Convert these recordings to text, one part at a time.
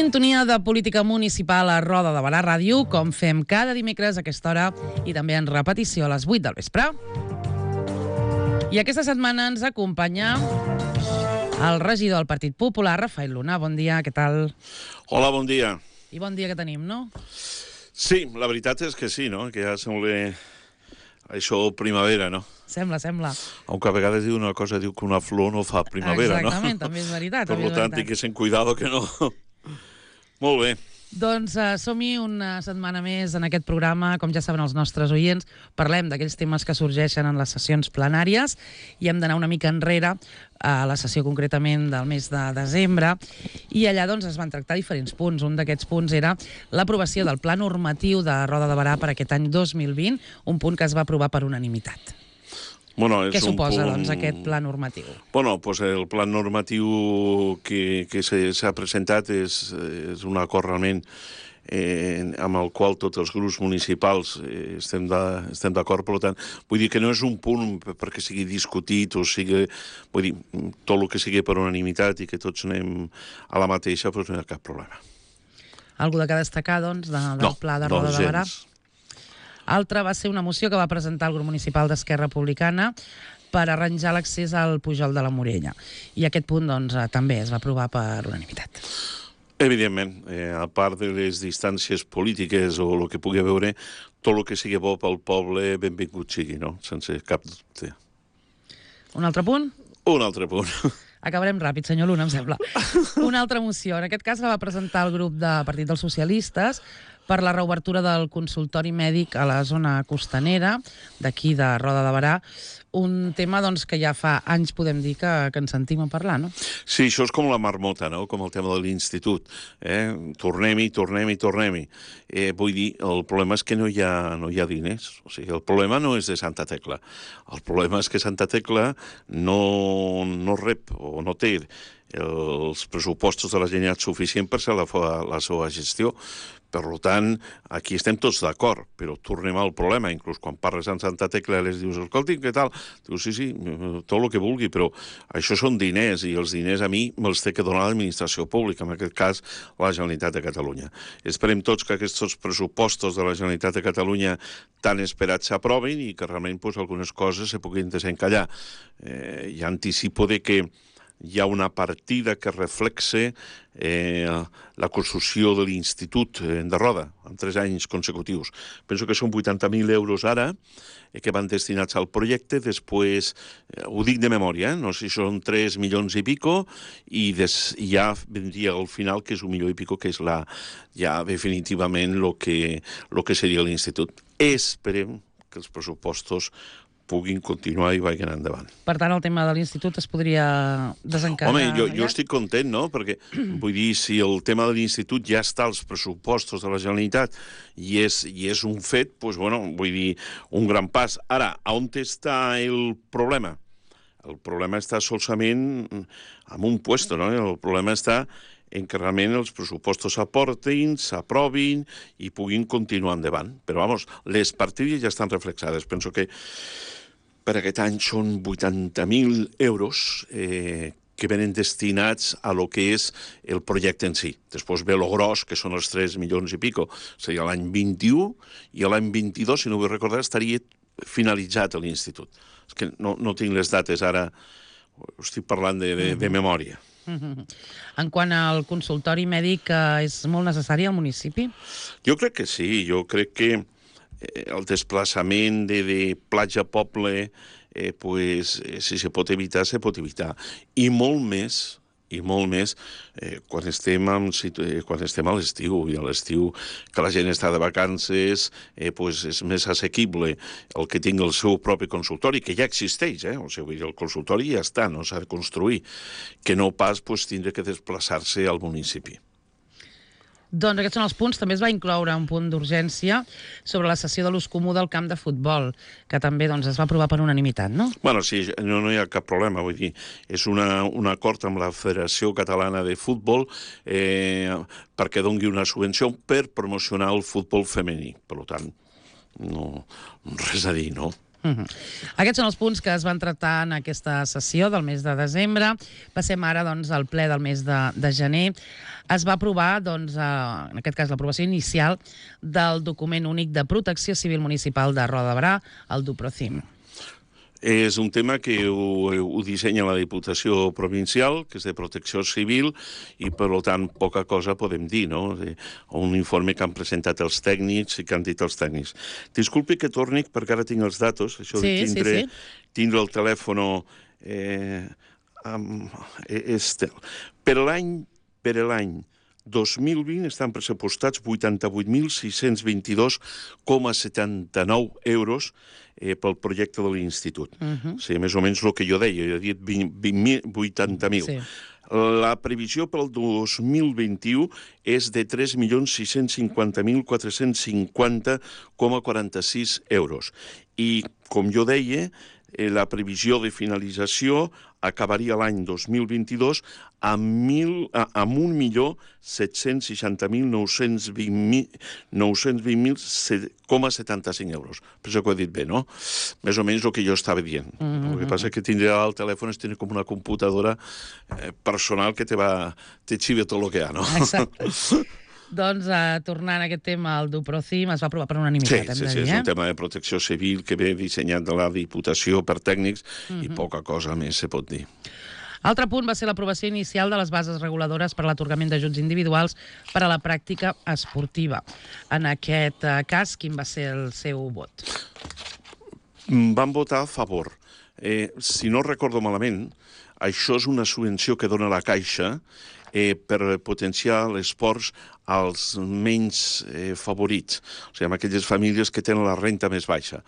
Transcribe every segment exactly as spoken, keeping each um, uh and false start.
Sintonia de política municipal a Roda de Barà Ràdio, com fem cada dimecres a aquesta hora i també en repetició a les vuit del vespre. I aquesta setmana ens acompanya el regidor del Partit Popular, Rafael Luna. Bon dia, què tal? Hola, bon dia. I bon dia que tenim, no? Sí, la veritat és que sí, no? Que ja sembla això primavera, no? Sembla, sembla. Aunque a vegades diu una cosa, diu que una flor no fa primavera, no? Exactament, també és veritat. Per tant, té que ser cuidado que no... Molt bé. Doncs uh, som-hi una setmana més en aquest programa. Com ja saben els nostres oients, parlem d'aquells temes que sorgeixen en les sessions plenàries i hem d'anar una mica enrere a la sessió concretament del mes de desembre, i allà doncs es van tractar diferents punts. Un d'aquests punts era l'aprovació del Pla Normatiu de Roda de Barà per aquest any dos mil vint, un punt que es va aprovar per unanimitat. Bueno, és Què suposa, punt... doncs, aquest pla normatiu? Bueno, pues el pla normatiu que, que s'ha presentat és, és un acord realment eh, amb el qual tots els grups municipals eh, estem d'acord. Per tant, vull dir que no és un punt perquè sigui discutit o sigui... Vull dir, tot el que sigui per unanimitat i que tots anem a la mateixa, doncs no hi ha cap problema. Algú de que destacar, doncs, de, del no, pla de Roda de Barà? Altra va ser una moció que va presentar el grup municipal d'Esquerra Republicana per arranjar l'accés al Pujol de la Morella. I aquest punt, doncs, també es va aprovar per unanimitat. Evidentment, eh, a part de les distàncies polítiques o el que pugui veure, tot el que sigui bo pel poble, benvingut sigui, no? Sense cap dubte. Un altre punt? Un altre punt. Acabarem ràpid, senyor Luna, em sembla. Una altra moció. En aquest cas la va presentar el grup de Partit dels Socialistes per la reobertura del consultori mèdic a la zona costanera d'aquí de Roda de Barà. Un tema doncs, que ja fa anys podem dir que, que ens sentim a parlar, no? Sí, això és com la marmota, no? Com el tema de l'institut. Eh? Tornem-hi, tornem-hi, tornem-hi. Eh, vull dir, el problema és que no hi ha, no hi ha diners. O sigui, el problema no és de Santa Tecla. El problema és que Santa Tecla no, no rep o no té els pressupostos de la Generalitat suficient per ser la, la seva gestió. Per tant, aquí estem tots d'acord, però tornem al problema. Inclús quan parles amb Santa Tecla les dius, escolti, què tal? Dius, sí, sí, tot el que vulgui, però això són diners, i els diners a mi me'ls té que donar l'administració pública, en aquest cas la Generalitat de Catalunya. Esperem tots que aquests pressupostos de la Generalitat de Catalunya tan esperats s'aprovin i que realment pues, algunes coses se puguin desencallar. Eh, I anticipo de que hi ha una partida que reflexe eh, la construcció de l'Institut de Roda en tres anys consecutius. Penso que són vuitanta mil euros ara eh, que van destinats al projecte. Després, eh, ho dic de memòria, eh? No sé si són tres milions i pico, i des, ja vendria al final, que és un milió i pico, que és la, ja definitivament el que, lo que seria l'Institut. Esperem que els pressupostos puguin continuar i vagin endavant. Per tant, el tema de l'institut es podria desencadenar... Home, jo, jo estic content, no? Perquè, vull dir, si el tema de l'institut ja està als pressupostos de la Generalitat i és, i és un fet, doncs, bueno, vull dir, un gran pas. Ara, on està el problema? El problema està solament en un puesto, no? El problema està en que realment els pressupostos s'aportin, s'aprovin i puguin continuar endavant. Però, vamos, les partides ja estan reflexades. Penso que per aquest any són vuitanta mil euros eh, que venen destinats a lo que és el projecte en si. Després ve lo gros, que són els tres milions i pico. Seria l'any vint-i-u, i l'any vint-i-dos, si no vull recordar, estaria finalitzat l'institut. És que no, no tinc les dates ara, estic parlant de, de, de memòria. En quant al consultori mèdic, és molt necessari al municipi? Jo crec que sí, jo crec que el desplaçament de, de platja a poble, eh, pues, eh, si se pot evitar, se pot evitar. I molt més, i molt més eh, quan, estem en, eh, quan estem a l'estiu, i a l'estiu que la gent està de vacances, eh, pues és més assequible el que tingui el seu propi consultori, que ja existeix, eh? O sigui, el consultori ja està, no s'ha de construir, que no pas pues, tindre que desplaçar-se al municipi. Doncs aquests són els punts. També es va incloure un punt d'urgència sobre la cessió de l'ús comú del camp de futbol, que també doncs, es va aprovar per unanimitat, no? Bueno, sí, no, no hi ha cap problema. Vull dir, és una, un acord amb la Federació Catalana de Futbol eh, perquè doni una subvenció per promocionar el futbol femení. Per tant, no, res a dir, no? Uh-huh. Aquests són els punts que es van tractar en aquesta sessió del mes de desembre. Passem ara doncs, al ple del mes de, de gener. Es va aprovar, doncs, eh, en aquest cas, l'aprovació inicial del document únic de protecció civil municipal de Roda de Berà, el DUPROCIM. És un tema que ho, ho dissenya la Diputació Provincial, que és de protecció civil, i per tant poca cosa podem dir, no? Un informe que han presentat els tècnics i que han dit els tècnics. Disculpi que torni, perquè ara tinc els datos, això sí, de tindre, sí, sí. tindre el telèfon eh, amb, este. Per l'any per l'any dos mil vint estan pressupostats vuitanta-vuit mil sis-cents vint-i-dos coma setanta-nou euros eh, pel projecte de l'Institut. Uh -huh. O sigui, més o menys el que jo deia, jo he dit vuitanta mil. Sí. La previsió pel dos mil vint-i-u és de tres milions sis-cents cinquanta mil quatre-cents cinquanta coma quaranta-sis euros. I, com jo deia, eh, la previsió de finalització acabaria l'any dos mil vint-i-dos amb, mil, amb un milió set-cents seixanta mil nou-cents vint mil coma setanta-cinc euros. Penso que ho he dit bé, no? Més o menys el que jo estava dient. Mm-hmm. El que passa és que tindre al telèfon és tenir com una computadora eh, personal que te va, te xiva tot el que hi ha, no? Exacte. Doncs, uh, tornant a aquest tema, el DUPROCIM es va aprovar per unanimitat, sí, hem sí, de sí, dir, és eh? un tema de protecció civil que ve dissenyat de la Diputació per tècnics mm-hmm. i poca cosa més se pot dir. Altre punt va ser l'aprovació inicial de les bases reguladores per a l'atorgament d'ajuts individuals per a la pràctica esportiva. En aquest uh, cas, quin va ser el seu vot? Van votar a favor. Eh, si no recordo malament, això és una subvenció que dona la Caixa eh, per potenciar l'esport als menys eh, favorits, o sigui, amb aquelles famílies que tenen la renta més baixa.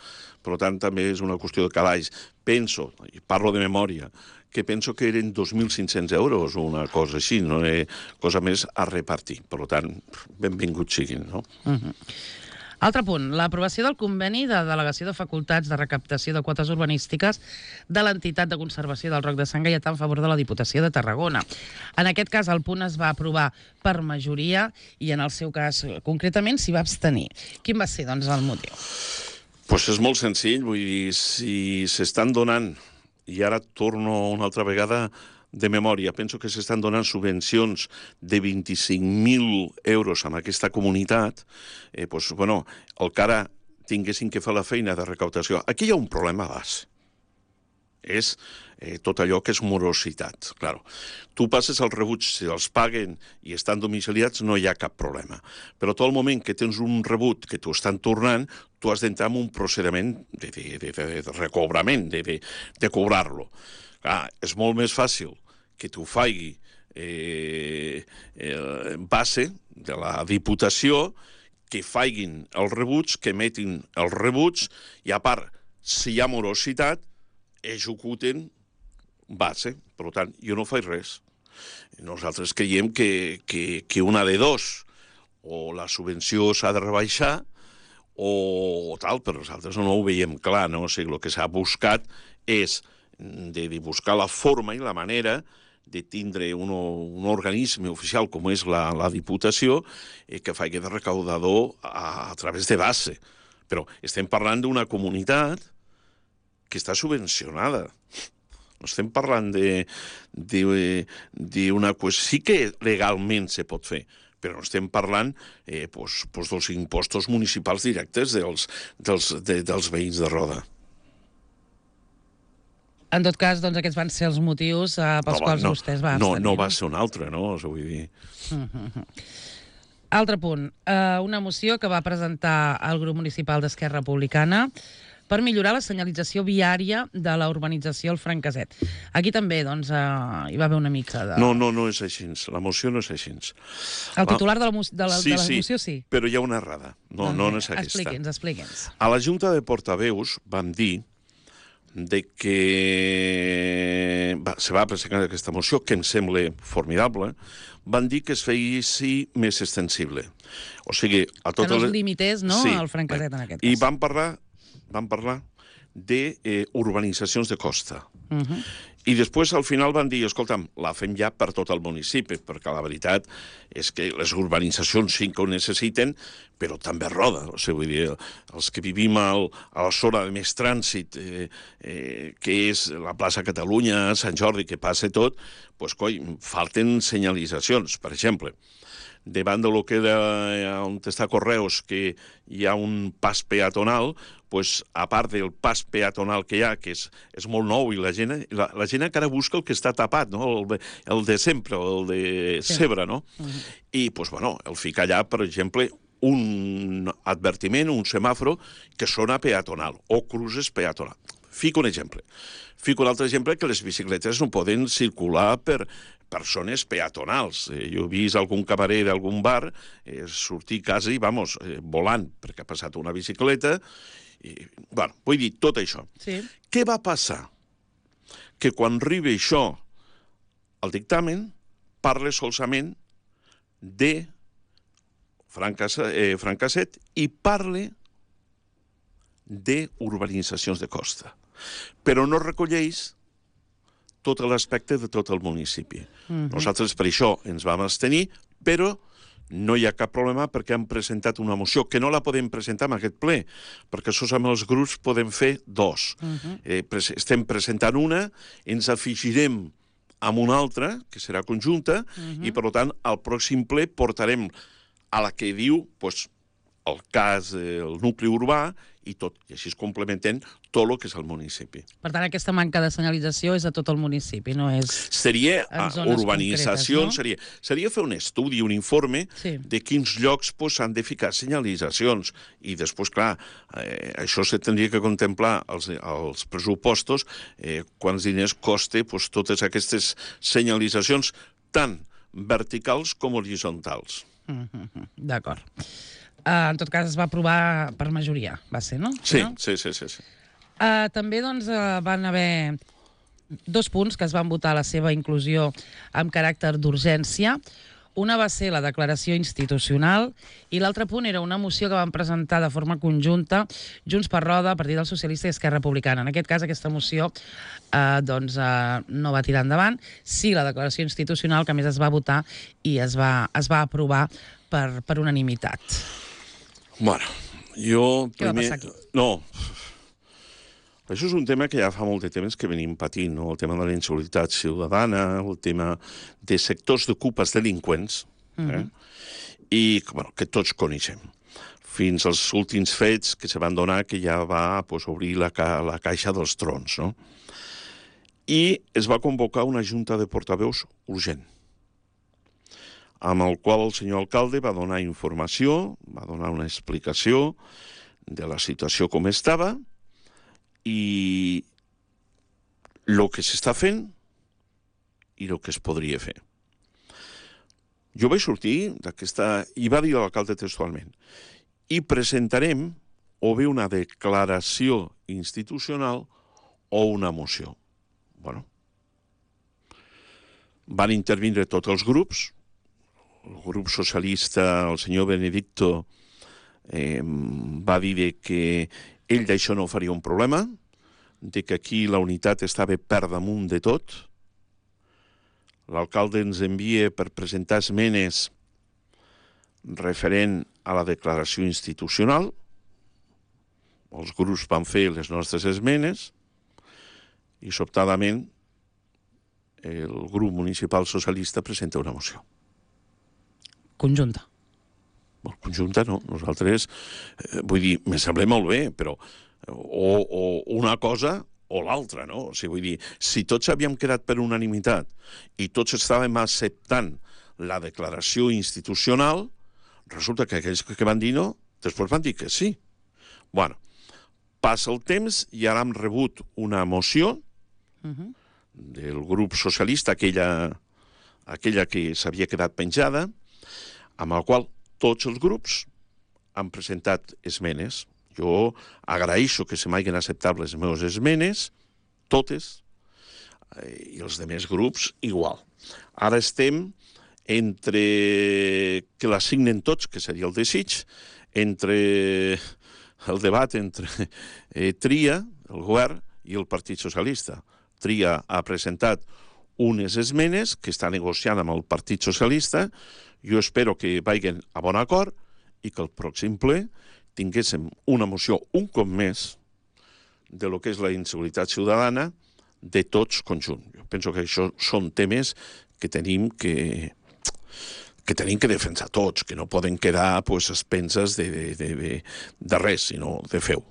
Per tant, també és una qüestió de calaix. Penso, i parlo de memòria, que penso que eren dos mil cinc-cents euros o una cosa així, no és cosa més a repartir. Per tant, benvinguts siguin, no? Uh-huh. Altre punt, l'aprovació del conveni de delegació de facultats de recaptació de quotes urbanístiques de l'entitat de conservació del Roc de Sant Gaietà en favor de la Diputació de Tarragona. En aquest cas, el punt es va aprovar per majoria i en el seu cas, concretament, s'hi va abstenir. Quin va ser, doncs, el motiu? Doncs pues és molt senzill, vull dir, si s'estan donant, i ara torno una altra vegada de memòria, penso que s'estan donant subvencions de vint-i-cinc mil euros en aquesta comunitat, eh, doncs, bueno, el que ara tinguessin que fer la feina de recaptació. Aquí hi ha un problema base. És eh, tot allò que és morositat. Claro. Tu passes els rebuts, si els paguen i estan domiciliats, no hi ha cap problema. Però tot el moment que tens un rebut que t'ho estan tornant, tu has d'entrar en un procediment de, de, de, de, de recobrament, de, de, de cobrar-lo. Ah, és molt més fàcil que t'ho faci eh, eh, base de la Diputació, que facin els rebuts, que emetin els rebuts, i a part, si hi ha morositat, executen base. Per tant, jo no faig res. Nosaltres creiem que, que, que una de dos, o la subvenció s'ha de rebaixar, o tal, però nosaltres no ho veiem clar, no? O sigui, el que s'ha buscat és de, de buscar la forma i la manera de tindre un, un organisme oficial com és la, la Diputació eh, que faci de recaudador a, a través de base. Però estem parlant d'una comunitat que està subvencionada. No estem parlant d'una qüestió... Sí que legalment se pot fer, però no estem parlant eh, pues, pues dels impostos municipals directes dels, dels, de, dels veïns de Roda. En tot cas, doncs, aquests van ser els motius eh, pels no, quals no, vostès va no, abstenir. no va ser un altre, no? Us ho vull dir. Uh-huh. Altre punt, eh, una moció que va presentar el grup municipal d'Esquerra Republicana per millorar la senyalització viària de la urbanització El Franqueset. Aquí també, doncs, eh, hi va haver una mica de... No, no, no és així. La moció no és així. El titular de la, de la, sí, de la sí, moció sí? Però hi ha una errada. No, no, no és aquesta. Expliqui'ns, expliqui'ns. A la Junta de Portaveus vam dir de que va, se va presentar aquesta moció, que em sembla formidable, van dir que es feia més extensible. O sigui, a totes que no es les... limités, no?, sí, al Franqueset, en aquest cas. I van parlar, van parlar de eh, urbanitzacions de costa. Uh-huh. I després, al final, van dir, escolta'm, la fem ja per tot el municipi, perquè la veritat és que les urbanitzacions sí que ho necessiten, però també roda. O sigui, vull dir, els que vivim al, a la zona de més trànsit, eh, eh, que és la plaça Catalunya, Sant Jordi, que passa tot, doncs, coi, falten senyalitzacions, per exemple. Davant de lo que era on està Correus, que hi ha un pas peatonal, pues, a part del pas peatonal que hi ha, que és, és molt nou, i la gent, la, la gent encara busca el que està tapat, no? el, de, el de sempre, el de Cebre, no? Uh-huh. I, pues, bueno, el fica allà, per exemple, un advertiment, un semàforo, que sona peatonal, o cruces peatonal. Fico un exemple. Fico un altre exemple, que les bicicletes no poden circular per, per zones peatonals. Eh, jo he vist algun camarer d'algun bar eh, sortir quasi, vamos, eh, volant, perquè ha passat una bicicleta. I, bueno, vull dir, tot això. Sí. Què va passar? Que quan arriba això al dictamen, parla solament de Francasset, eh, Francasset i parla d'urbanitzacions de costa, però no recolleix tot l'aspecte de tot el municipi. Uh-huh. Nosaltres per això ens vam abstenir, però no hi ha cap problema perquè hem presentat una moció que no la podem presentar en aquest ple, perquè sols amb els grups podem fer dos. Uh-huh. eh, pres estem presentant una, ens afegirem amb una altra, que serà conjunta, uh-huh. i per tant al pròxim ple portarem a la que diu pues, el cas, eh, el nucli urbà, i tot, i així es complementen tot el que és el municipi. Per tant, aquesta manca de senyalització és a tot el municipi, no és seria en zones urbanització, concretes, no? seria, seria fer un estudi, un informe sí. de quins llocs s'han pues, de ficar senyalitzacions, i després, clar, eh, això se tindria que contemplar als, als pressupostos, eh, quants diners costa pues, totes aquestes senyalitzacions, tant verticals com horitzontals. Mm-hmm. D'acord. Uh, en tot cas, es va aprovar per majoria, va ser, no? Sí, no? sí, sí. sí, sí. Uh, també doncs, uh, van haver dos punts que es van votar la seva inclusió amb caràcter d'urgència. Una va ser la declaració institucional i l'altre punt era una moció que van presentar de forma conjunta Junts per Roda, Partit dels Socialistes i Esquerra Republicana. En aquest cas, aquesta moció eh, doncs, eh, no va tirar endavant. Sí, la declaració institucional, que a més es va votar i es va, es va aprovar per, per unanimitat. Bueno, jo... Què primer... va passar aquí? No, això és un tema que ja fa molt de temps que venim patint, no? El tema de la inseguretat ciutadana, el tema de sectors d'ocupes delinqüents, eh? Uh-huh. I bueno, que tots coneixem. Fins als últims fets que se van donar que ja va pues, obrir la, ca la caixa dels trons, no? I es va convocar una junta de portaveus urgent, amb el qual el senyor alcalde va donar informació, va donar una explicació de la situació com estava i el que s'està fent i el que es podria fer. Jo vaig sortir d'aquesta... i va dir l'alcalde textualment, i presentarem o bé una declaració institucional o una moció. Bueno, van intervindre tots els grups. El grup socialista, el senyor Benedicto, eh, va dir que ell d'això no faria un problema, de que aquí la unitat estava per damunt de tot. L'alcalde ens envia per presentar esmenes referent a la declaració institucional. Els grups van fer les nostres esmenes i, sobtadament, el grup municipal socialista presenta una moció. Conjunta. Bueno, conjunta no, nosaltres, eh, vull dir, me sembla molt bé, però o, o una cosa o l'altra, no? O sigui, vull dir, si tots havíem quedat per unanimitat i tots estàvem acceptant la declaració institucional, resulta que aquells que van dir no, després van dir que sí. Bueno, passa el temps i ara hem rebut una moció uh-huh. del grup socialista, aquella, aquella que s'havia quedat penjada, amb el qual tots els grups han presentat esmenes. Jo agraeixo que se m'hagin acceptat les meves esmenes, totes, i els altres grups igual. Ara estem entre que la signen tots, que seria el desig, entre el debat entre eh, Tria, el govern, i el Partit Socialista. Tria ha presentat unes esmenes que està negociant amb el Partit Socialista. Jo espero que vagin a bon acord i que el pròxim ple tinguéssim una moció un cop més de lo que és la inseguretat ciutadana de tots conjunt. Jo penso que això són temes que tenim que, que tenim que defensar tots, que no poden quedar pues, expenses de, de, de, de, de res, sinó de feu.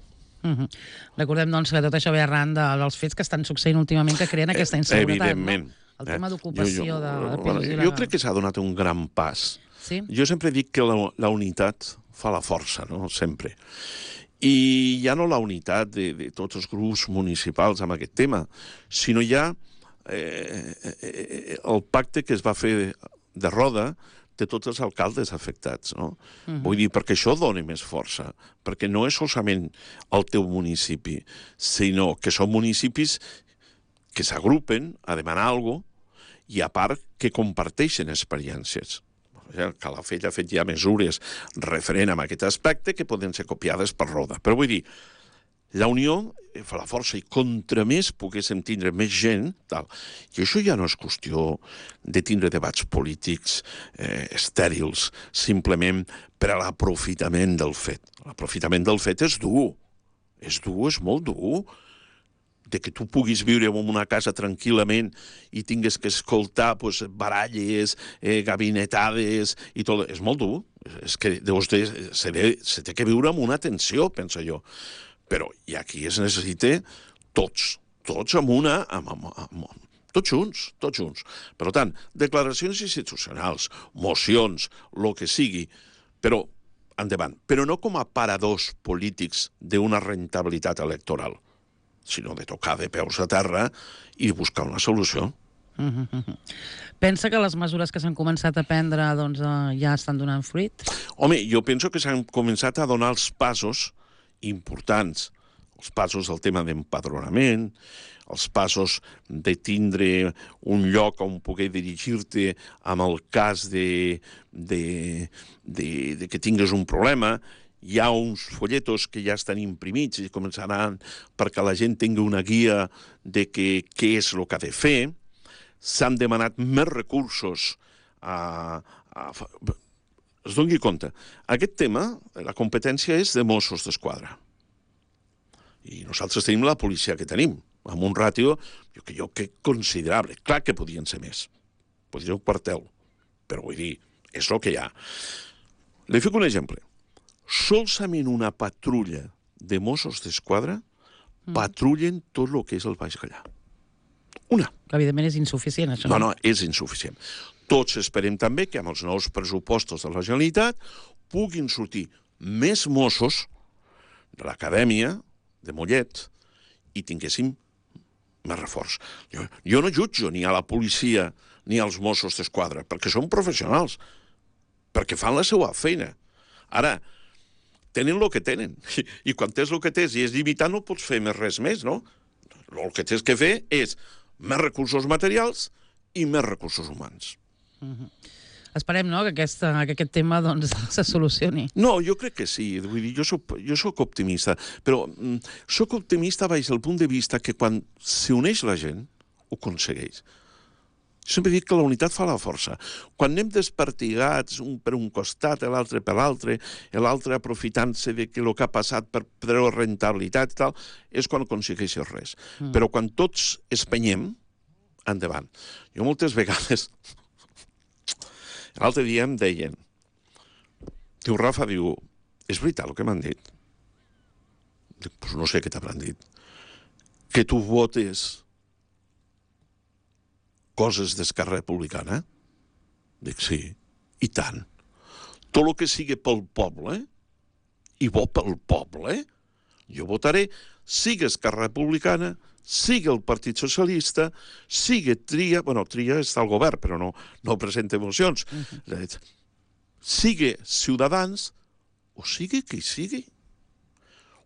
Uh-huh. Recordem, doncs, que tot això ve arran de, dels fets que estan succeint últimament que creen aquesta inseguretat. Evidentment. No? El tema d'ocupació de... Bueno, jo crec que s'ha donat un gran pas. Sí? Jo sempre dic que la, la unitat fa la força, no? Sempre. I ja no la unitat de, de tots els grups municipals amb aquest tema, sinó ja eh, eh, el pacte que es va fer de, de roda de tots els alcaldes afectats, no? Uh-huh. Vull dir, perquè això dona més força, perquè no és solament el teu municipi, sinó que són municipis que s'agrupen a demanar alguna cosa i a part que comparteixen experiències. Calafell ha fet ja mesures referent a aquest aspecte que poden ser copiades per Roda. Però vull dir, la unió fa la força i contra més poguéssim tindre més gent, tal. I això ja no és qüestió de tindre debats polítics eh, estèrils, simplement per a l'aprofitament del fet. L'aprofitament del fet és dur. És dur, és molt dur. De que tu puguis viure en una casa tranquil·lament i tingues que escoltar pues, baralles, eh, gabinetades i tot. És molt dur. És que deus de, se, de, se té que viure amb una tensió, penso jo. Però i aquí es necessita tots, tots amb una... Amb, amb, amb, tots junts, tots junts. Per tant, declaracions institucionals, mocions, el que sigui, però endavant. Però no com a paradors polítics d'una rentabilitat electoral, sinó de tocar de peus a terra i buscar una solució. Uh -huh. Pensa que les mesures que s'han començat a prendre doncs, ja estan donant fruit? Home, jo penso que s'han començat a donar els passos importants, els passos del tema d'empadronament, els passos de tindre un lloc on poder dirigir-te amb el cas de, de, de, de que tingues un problema. Hi ha uns folletos que ja estan imprimits i començaran perquè la gent tingui una guia de que, què és el que ha de fer. S'han demanat més recursos a... a es doni compte. Aquest tema, la competència és de Mossos d'Esquadra. I nosaltres tenim la policia que tenim, amb un ràtio jo, que jo que considerable. Clar que podien ser més. Podria un quartel. Però vull dir, és el que hi ha. Li fico un exemple. Solament una patrulla de Mossos d'Esquadra mm. patrullen tot el que és el Baix Gallà. Una. Que evidentment és insuficient, això. No, no, és insuficient. Tots esperem també que amb els nous pressupostos de la Generalitat puguin sortir més Mossos de l'acadèmia de Mollet i tinguéssim més reforç. Jo, jo no jutjo ni a la policia ni als Mossos d'Esquadra, perquè són professionals, perquè fan la seva feina. Ara, tenen el que tenen, i, i quan tens el que tens i és limitat no pots fer més res més, no? El que tens que fer és més recursos materials i més recursos humans. Uh-huh. Esperem, no?, que, aquesta, que aquest tema doncs, se solucioni. No, jo crec que sí. Vull dir, jo soc, jo soc optimista, però mm, soc optimista baix el punt de vista que quan s'uneix la gent, ho aconsegueix. Sempre dic que la unitat fa la força. Quan anem despartigats, un per un costat, l'altre per l'altre, l'altre aprofitant-se de que el que ha passat per treure rentabilitat i tal, és quan aconsegueixes res. Mm. Però quan tots espenyem, endavant. Jo moltes vegades... L'altre dia em deien... Diu, Rafa, diu, és veritat el que m'han dit? Dic, doncs no sé què t'hauran dit. Que tu votes coses d'Esquerra Republicana? Dic, sí, i tant. Tot el que sigui pel poble, i bo pel poble, jo votaré, sigui Esquerra Republicana, sigui el Partit Socialista, sigui Tria, bueno, Tria està al govern, però no, no presenta mocions, uh-huh. sigui Ciutadans, o sigui qui sigui.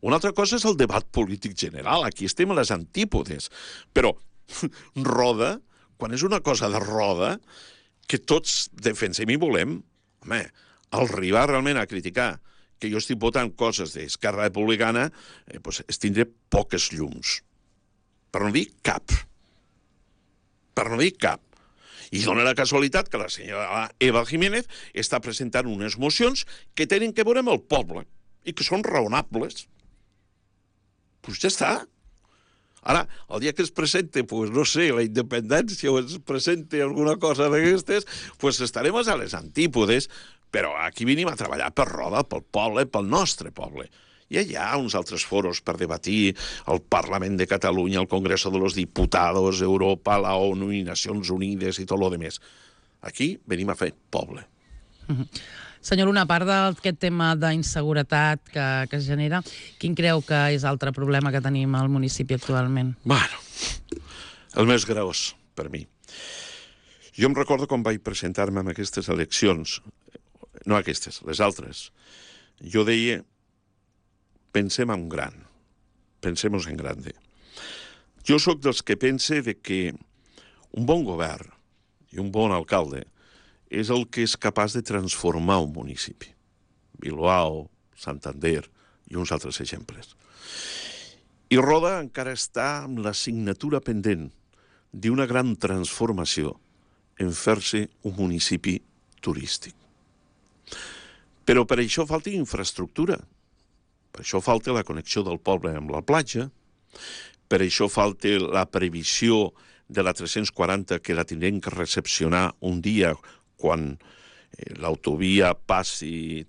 Una altra cosa és el debat polític general, aquí estem a les antípodes, però Roda, quan és una cosa de Roda, que tots defensem i volem, home, al arribar realment a criticar que jo estic votant coses d'Esquerra Republicana, eh, doncs es tindré poques llums. Per no dir cap. per no dir cap. I dona la casualitat que la senyora Eva Jiménez està presentant unes mocions que tenen que veure amb el poble i que són raonables. Doncs ja està. Ara, el dia que es presente, pues, no sé, la independència o es presente alguna cosa d'aquestes, pues estarem a les antípodes, però aquí venim a treballar per Roda, pel poble, pel nostre poble. I hi ha uns altres foros per debatir el Parlament de Catalunya, el Congreso de los Diputados, Europa, la ONU i Nacions Unides i tot lo demés. Aquí venim a fer poble. Mm-hmm. Senyor Luna, a part d'aquest tema d'inseguretat que, que es genera, quin creu que és l'altre problema que tenim al municipi actualment? Bueno, el més greus per mi. Jo em recordo quan vaig presentar-me en aquestes eleccions, no aquestes, les altres, jo deia, pensem en gran, pensemos en grande. Jo sóc dels que pense de que un bon govern i un bon alcalde és el que és capaç de transformar un municipi. Bilbao, Santander i uns altres exemples. I Roda encara està amb la signatura pendent d'una gran transformació en fer-se un municipi turístic. Però per això falta infraestructura. Per això falta la connexió del poble amb la platja, per això falta la previsió de la tres-cents quaranta que la tindrem que recepcionar un dia quan l'autovia passi.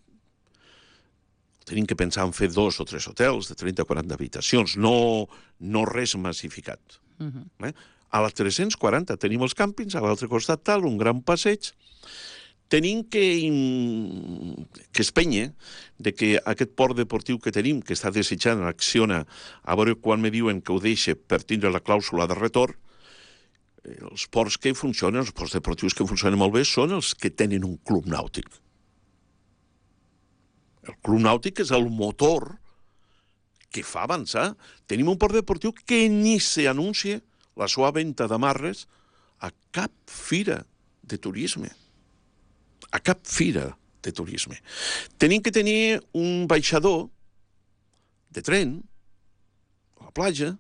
Tenim que pensar en fer dos o tres hotels de trenta a quaranta habitacions, no, no res massificat. Uh-huh. eh? A la tres-cents quaranta tenim els càmpings, a l'altre costat tal, un gran passeig. Tenim que, que espenya de que aquest port deportiu que tenim, que està desitjant Acciona, a veure quan me diuen que ho deixa per tindre la clàusula de retorn, els ports que funcionen, els ports deportius que funcionen molt bé, són els que tenen un club nàutic. El club nàutic és el motor que fa avançar. Tenim un port deportiu que ni s'anuncia la seva venda d'amarres a cap fira de turisme. A cap fira de turisme. Tenim que tenir un baixador de tren a la platja,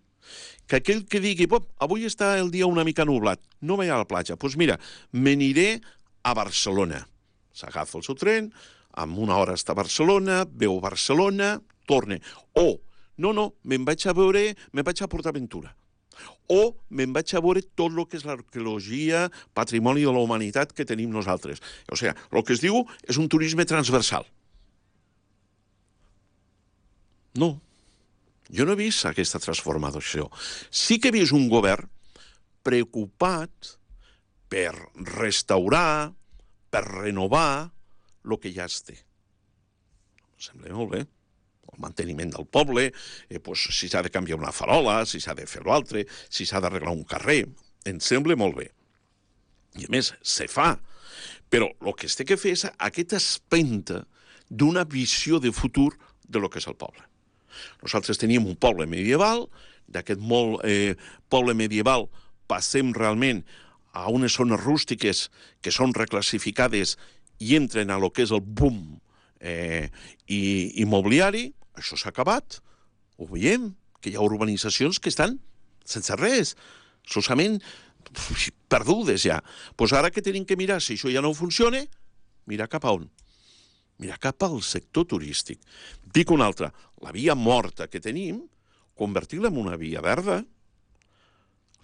que aquell que digui, avui està el dia una mica nublat, no vaig a la platja, doncs mira, me n'iré a Barcelona. S'agafa el seu tren, en una hora està a Barcelona, veu Barcelona, torna. O, no, no, me'n vaig a veure, me'n vaig a PortAventura. O me'n vaig a veure tot el que és l'arqueologia, patrimoni de la humanitat que tenim nosaltres. O sigui, el que es diu és un turisme transversal. No, jo no he vist aquesta transformació. Sí que he vist un govern preocupat per restaurar, per renovar el que ja es té. Em sembla molt bé. El manteniment del poble, eh, pues, si s'ha de canviar una farola, si s'ha de fer l'altre, si s'ha d'arreglar un carrer. Em sembla molt bé. I a més, se fa. Però el que es té que fer és aquesta espenta d'una visió de futur de lo que és el poble. Nosaltres teníem un poble medieval, d'aquest molt eh, poble medieval passem realment a unes zones rústiques que són reclassificades i entren a lo que és el boom eh, i, immobiliari. Això s'ha acabat, ho veiem, que hi ha urbanitzacions que estan sense res, solament perdudes ja. Doncs ara que tenim que mirar si això ja no funciona, mirar cap a on? Mirar cap al sector turístic. Dic una altra, la via morta que tenim, convertir-la en una via verda.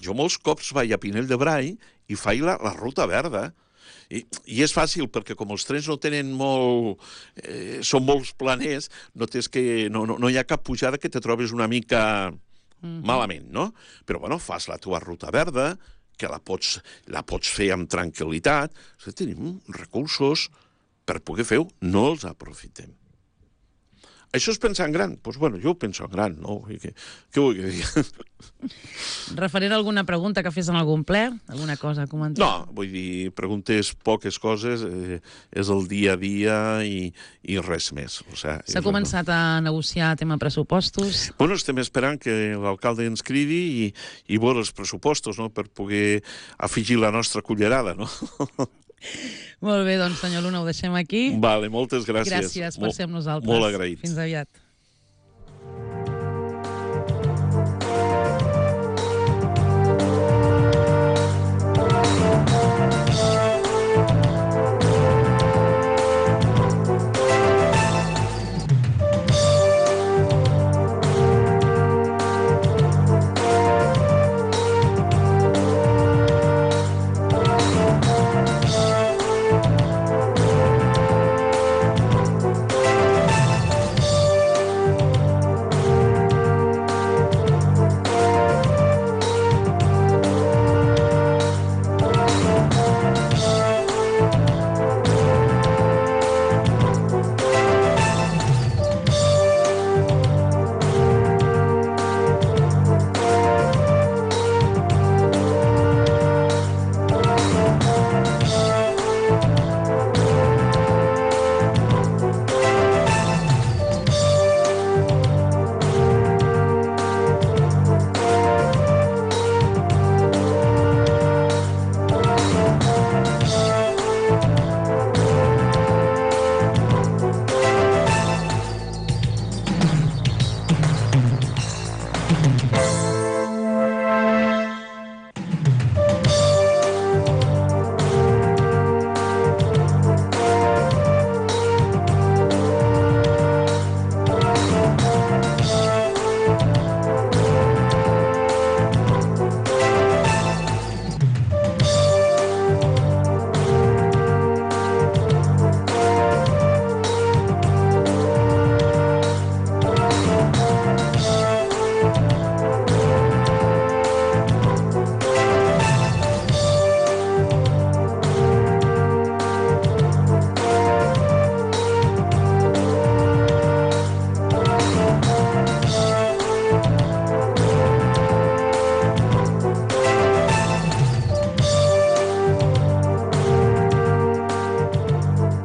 Jo molts cops vaig a Pinell de Brai i faig la, la ruta verda. I, I és fàcil, perquè com els trens no tenen molt... Eh, són molts planers, no, tens que, no, no, no hi ha cap pujada que te trobes una mica mm-hmm. malament, no? Però, bueno, fas la teva ruta verda, que la pots, la pots fer amb tranquil·litat. O sigui, tenim recursos per poder fer-ho, no els aprofitem. Això és pensar en gran? Doncs, bueno, jo penso en gran, no? Què, què vull dir? Referent a alguna pregunta que fes en algun ple? Alguna cosa a comentar? No, vull dir, preguntes poques coses, eh, és el dia a dia i, i res més. O sigui, s'ha començat a negociar tema pressupostos? Bueno, estem esperant que l'alcalde ens cridi i, i veure els pressupostos, no?, per poder afegir la nostra cullerada, no? Molt bé, doncs, senyor Luna, ho deixem aquí. Vale, moltes gràcies. Gràcies per ser amb nosaltres. Molt agraït. Fins aviat.